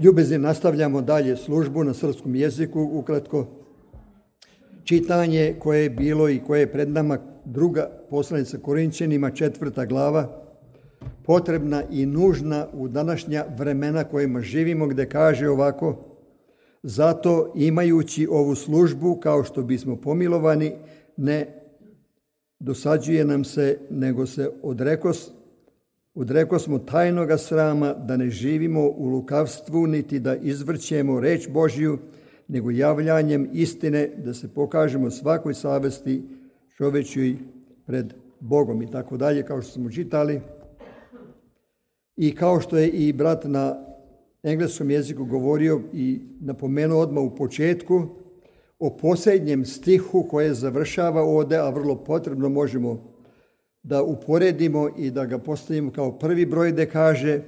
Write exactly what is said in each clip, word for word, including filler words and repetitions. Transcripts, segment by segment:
Ljubezni, nastavljamo dalje službu na srpskom jeziku, ukratko. Čitanje koje je bilo i koje je pred nama, druga poslanica Korinćanima, četvrta glava, potrebna i nužna u današnja vremena kojima živimo, gdje kaže ovako: zato imajući ovu službu, kao što bismo pomilovani, ne dosađuje nam se, nego se odrekos, odreko smo tajnoga srama, da ne živimo u lukavstvu, niti da izvrćemo reč Božju, nego javljanjem istine, da se pokažemo svakoj savesti čovečoj pred Bogom i tako dalje, kao što smo čitali. I kao što je i brat na engleskom jeziku govorio i napomenuo odmah u početku, o posljednjem stihu koje završava ovdje, a vrlo potrebno možemo da uporedimo i da ga postavimo kao prvi broj, gdje kaže: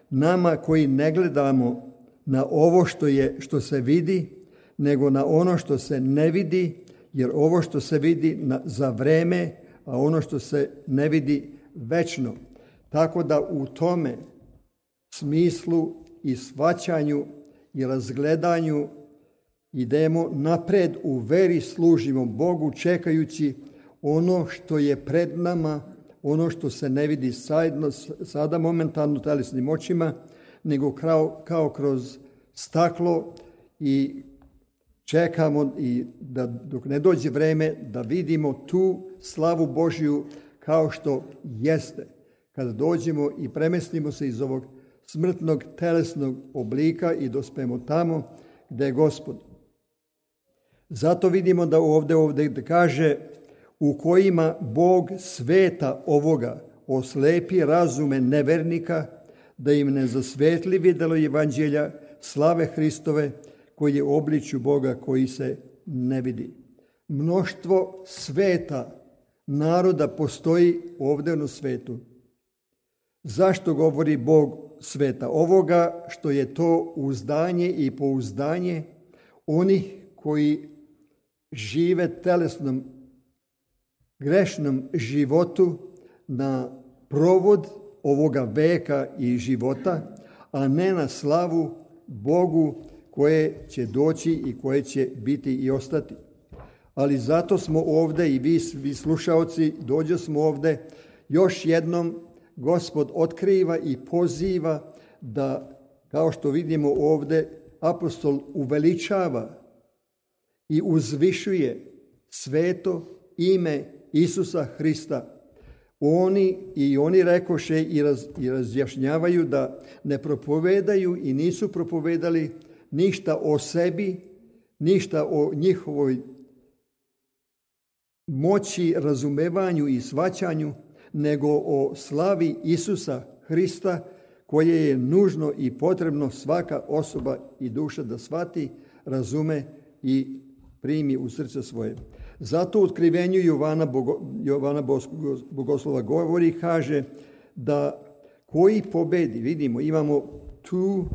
nama koji ne gledamo na ovo što je, što se vidi, nego na ono što se ne vidi, jer ovo što se vidi na, za vreme, a ono što se ne vidi večno. Tako da u tome smislu i shvaćanju i razgledanju idemo napred u veri, služimo Bogu, čekajući ono što je pred nama, ono što se ne vidi sadno, sada momentalno telesnim očima, nego kao, kao kroz staklo, i čekamo i da dok ne dođe vreme da vidimo tu slavu Božju kao što jeste. Kada dođemo i premestimo se iz ovog smrtnog telesnog oblika i dospemo tamo gdje je Gospod. Zato vidimo da ovdje, ovdje kaže: u kojima Bog sveta ovoga oslepi razume nevernika, da im ne zasvetli vidjelo evanđelja slave Hristove, koji je u obličju Boga koji se ne vidi. Mnoštvo sveta, naroda postoji ovdje na svetu. Zašto govori Bog sveta ovoga? Što je to uzdanje i pouzdanje onih koji žive telesnom, grešnom životu na provod ovoga veka i života, a ne na slavu Bogu koje će doći i koje će biti i ostati. Ali zato smo ovdje i vi, vi slušaoci, dođe smo ovdje još jednom. Gospod otkriva i poziva da, kao što vidimo ovdje, apostol uveličava i uzvišuje sveto ime Isusa Hrista. Oni i oni rekoše i, raz, i razjašnjavaju da ne propovedaju i nisu propovedali ništa o sebi, ništa o njihovoj moći, razumevanju i shvaćanju, nego o slavi Isusa Hrista, koje je nužno i potrebno svaka osoba i duša da shvati, razume i primi u srce svoje. Zato u otkrivenju Jovana, Bogo, Jovana Bogoslova govori, kaže da koji pobedi, vidimo, imamo tu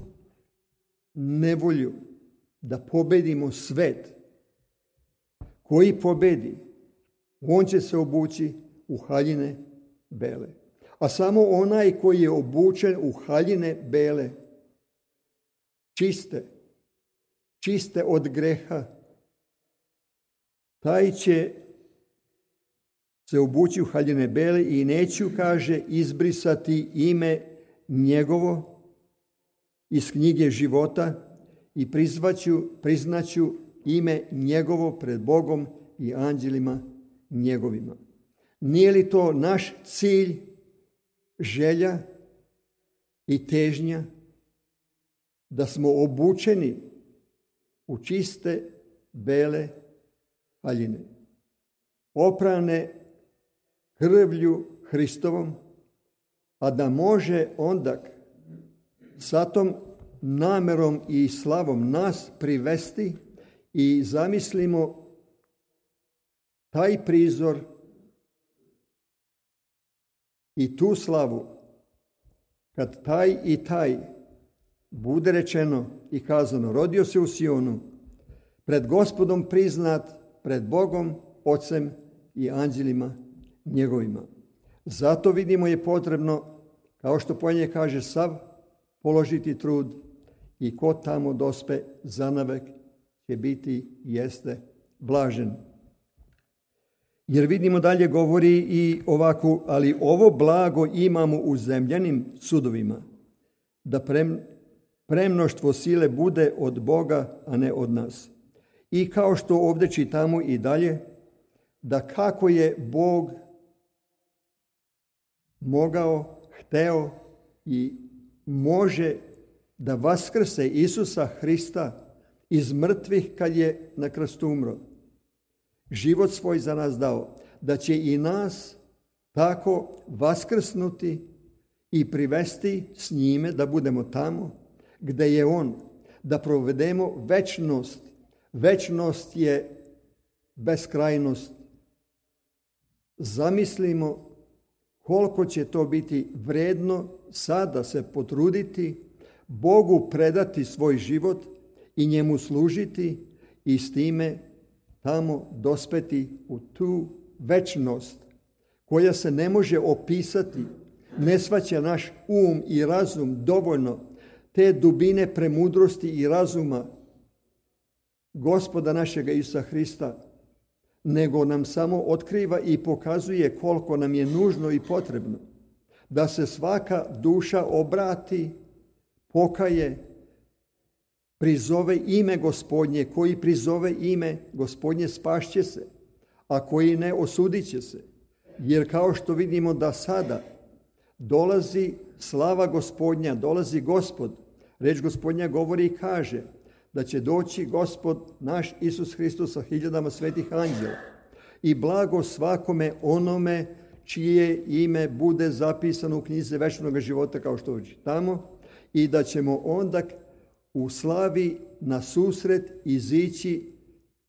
nevolju da pobedimo svet. Koji pobedi, on će se obući u haljine bele. A samo onaj koji je obučen u haljine bele, čiste, čiste od greha, taj će se obući u haljine bele i neću, kaže, izbrisati ime njegovo iz knjige života i prizvaću, priznaću ime njegovo pred Bogom i anđelima njegovima. Nije li to naš cilj, želja i težnja, da smo obučeni u čiste bele haljine, oprane krvlju Hristovom, a da može onda sa tom namerom i slavom nas privesti i zamislimo taj prizor i tu slavu, kad taj i taj bude rečeno i kazano: rodio se u Sionu, pred Gospodom priznat, pred Bogom, Ocem i anđelima njegovima. Zato vidimo je potrebno, kao što Polje kaže, sav položiti trud i ko tamo dospe zanavek će biti jeste blažen. Jer vidimo dalje govori i ovako, ali ovo blago imamo u zemljanim sudovima, da prem, premnoštvo sile bude od Boga, a ne od nas. I kao što ovdje čitamo i dalje, da kako je Bog mogao, hteo i može da vaskrse Isusa Hrista iz mrtvih kad je na krstu umro. Život svoj za nas dao, da će i nas tako vaskrsnuti i privesti s njime da budemo tamo gde je on, da provedemo večnost. Večnost je beskrajnost. Zamislimo koliko će to biti vredno sada se potruditi, Bogu predati svoj život i njemu služiti i s time tamo dospeti u tu večnost koja se ne može opisati, ne shvaća naš um i razum dovoljno te dubine premudrosti i razuma Gospoda našega Isusa Hrista, nego nam samo otkriva i pokazuje koliko nam je nužno i potrebno da se svaka duša obrati, pokaje, prizove ime Gospodnje. Koji prizove ime Gospodnje spašće se, a koji ne osudit će se. Jer kao što vidimo da sada dolazi slava Gospodnja, dolazi Gospod. Reč Gospodnja govori i kaže da će doći Gospod naš Isus Hristos sa hiljadama svetih anđela i blago svakome onome čije ime bude zapisano u knjizi večnog života, kao što čitamo, i da ćemo onda u slavi na susret izići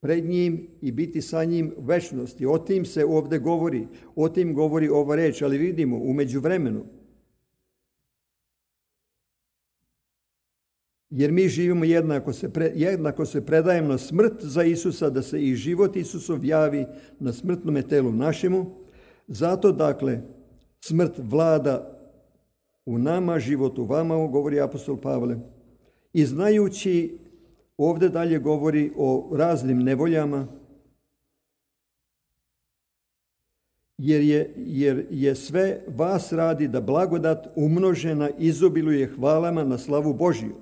pred njim i biti sa njim u večnosti. O tim se ovdje govori, o tim govori ova reč, ali vidimo u međuvremenu. Jer mi živimo jednako se, pre, jednako se predajemo na smrt za Isusa, da se i život Isusov javi na smrtnome telu našemu. Zato, dakle, smrt vlada u nama, život u vama, govori apostol Pavle. I znajući, ovdje dalje govori o raznim nevoljama, jer je, jer je sve vas radi da blagodat umnožena izobiluje hvalama na slavu Božiju.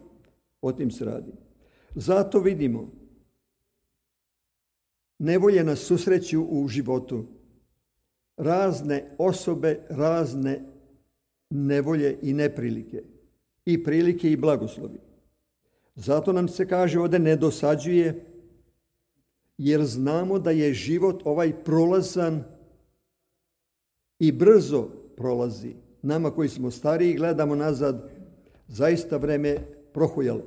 O tim se radi. Zato vidimo, nevolje nas susreću u životu. Razne osobe, razne nevolje i neprilike. I prilike i blagoslovi. Zato nam se kaže ovdje ne dosađuje, jer znamo da je život ovaj prolazan i brzo prolazi. Nama koji smo stariji gledamo nazad, zaista vreme prohujalo.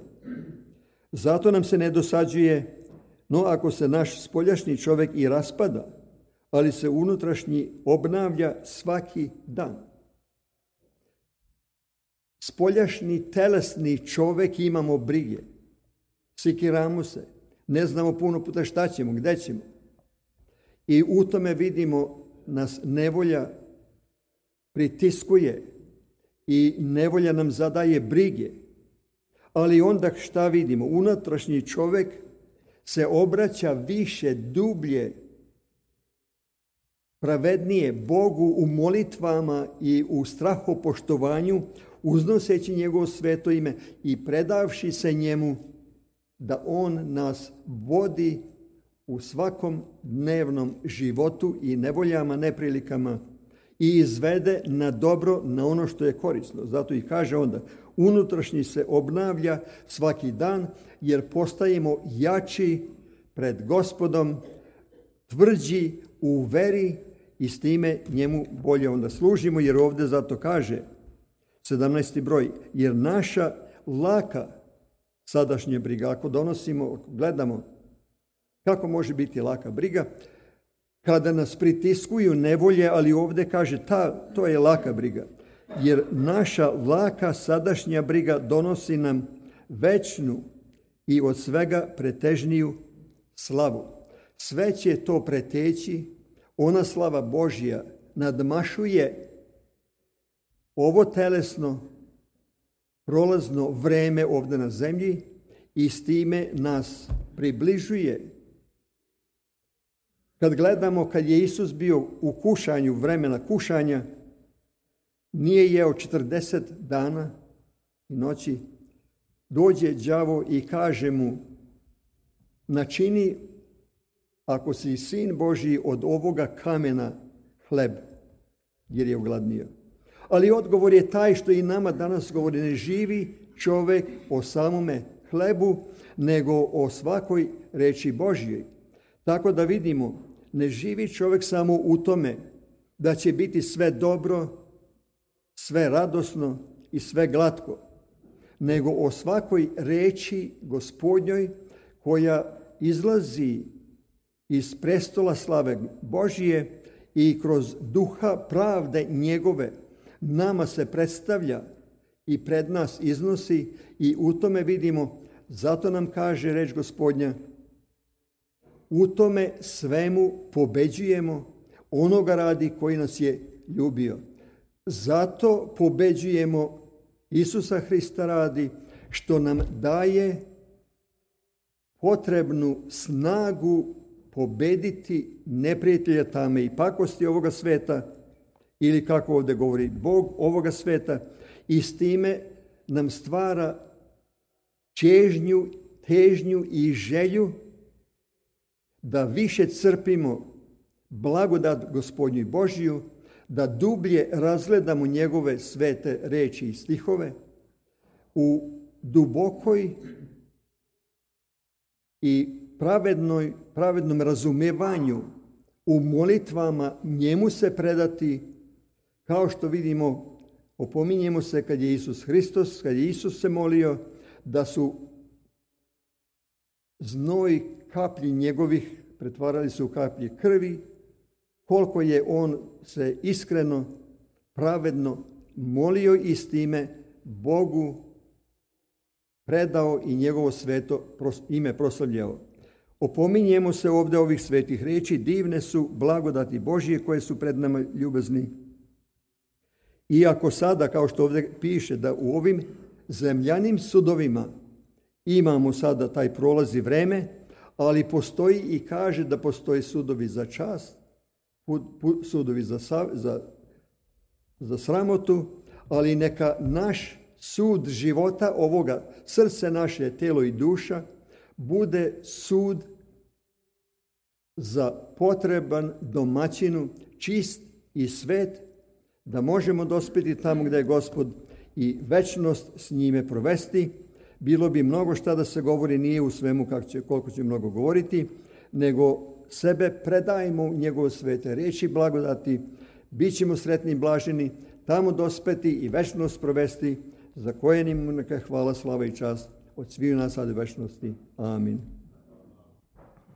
Zato nam se ne dosađuje, no ako se naš spoljašnji čovjek i raspada, ali se unutrašnji obnavlja svaki dan. Spoljašnji telesni čovjek imamo brige, sikiramo se, ne znamo puno puta šta ćemo, gdje ćemo. I u tome vidimo nas nevolja pritiskuje i nevolja nam zadaje brige. Ali onda šta vidimo? Unutrašnji čovjek se obraća više, dublje, pravednije Bogu u molitvama i u strahopoštovanju, uznoseći njegovo sveto ime i predavši se njemu da on nas vodi u svakom dnevnom životu i nevoljama, neprilikama i izvede na dobro, na ono što je korisno. Zato i kaže onda, unutrašnji se obnavlja svaki dan, jer postajemo jači pred Gospodom, tvrđi u veri i s time njemu bolje onda služimo, jer ovdje zato kaže sedamnaesti broj, jer naša laka sadašnja briga, ako donosimo, ako gledamo kako može biti laka briga, kada nas pritiskuju nevolje, ali ovdje kaže ta, to je laka briga. Jer naša laka sadašnja briga donosi nam večnu i od svega pretežniju slavu. Sve će to preteći, ona slava Božja nadmašuje ovo telesno, prolazno vreme ovdje na zemlji i s time nas približuje. Kad gledamo kad je Isus bio u kušanju, vremena kušanja, nije jeo četrdeset dana i noći, dođe đavo i kaže mu: načini, ako si sin Božji, od ovoga kamena hleb, jer je ogladnio. Ali odgovor je taj što i nama danas govori: ne živi čovjek o samome hlebu, nego o svakoj reči Božjoj. Tako da vidimo, ne živi čovjek samo u tome da će biti sve dobro, sve radosno i sve glatko, nego o svakoj reči Gospodnjoj koja izlazi iz prestola slave Božije i kroz duha pravde njegove nama se predstavlja i pred nas iznosi, i u tome vidimo, zato nam kaže reč Gospodnja: u tome svemu pobeđujemo onoga radi koji nas je ljubio. Zato pobeđujemo Isusa Hrista radi, što nam daje potrebnu snagu pobediti neprijatelja tame i pakosti ovoga sveta, ili kako ovdje govori Bog, ovoga sveta, i s time nam stvara čežnju, težnju i želju da više crpimo blagodat Gospodnju Božju, da dublje razgledamo njegove svete reči i stihove u dubokoj i pravednoj, pravednom razumijevanju, u molitvama njemu se predati, kao što vidimo, opominjemo se kad je Isus Hristos, kad je Isus se molio, da su znoj kaplji njegovih pretvarali se u kaplje krvi, koliko je on se iskreno, pravedno molio i s time Bogu predao i njegovo sveto ime proslavljao. Opominjemo se ovdje ovih svetih reči: divne su blagodati Božije koje su pred nama ljubazni. Iako sada, kao što ovdje piše, da u ovim zemljanim sudovima imamo sada taj prolazi vreme, ali postoji i kaže da postoji sudovi za čast, sudovi za, za, za sramotu, ali neka naš sud života ovoga, srce naše, telo i duša, bude sud za potreban domaćinu, čist i svet, da možemo dospjeti tamo gdje je Gospod i večnost s njime provesti. Bilo bi mnogo šta da se govori, nije u svemu kako će, koliko će mnogo govoriti, nego sebe predajemo u njegove svete reči blagodati, bit ćemo sretni i blaženi, tamo dospeti i večnost provesti, za koje njemu neka hvala, slava i čast od sviju nas sad i večnosti. Amin.